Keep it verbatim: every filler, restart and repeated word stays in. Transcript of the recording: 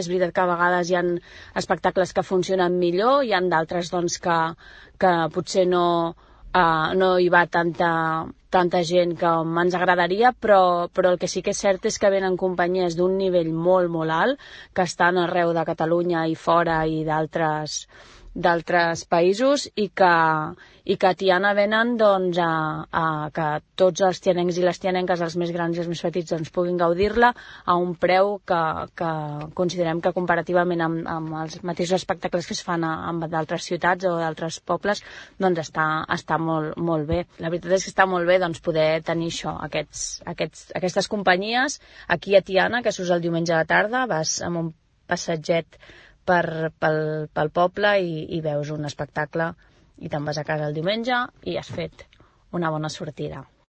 És veritat que a vegades hi ha espectacles que funcionen millor, hi ha d'altres doncs, que, que potser no, uh, no hi va tanta, tanta gent com ens agradaria, però, però el que sí que és cert és que venen companyies d'un nivell molt, molt alt, que estan arreu de Catalunya i fora i d'altres d'altres països i que, i que a Tiana venen doncs, a, a que tots els tianencs i les tianenques, els més grans i els més petits, doncs, puguin gaudir-la a un preu que, que considerem que comparativament amb, amb els mateixos espectacles que es fan a, amb d'altres ciutats o d'altres pobles, doncs està, està molt, molt bé. La veritat és que està molt bé doncs, poder tenir això, aquests, aquests, aquestes companyies aquí a Tiana, que surts el diumenge a la tarda, vas amb un passatget Per, pel, pel poble i, i veus un espectacle i te'n vas a casa el diumenge i has fet una bona sortida.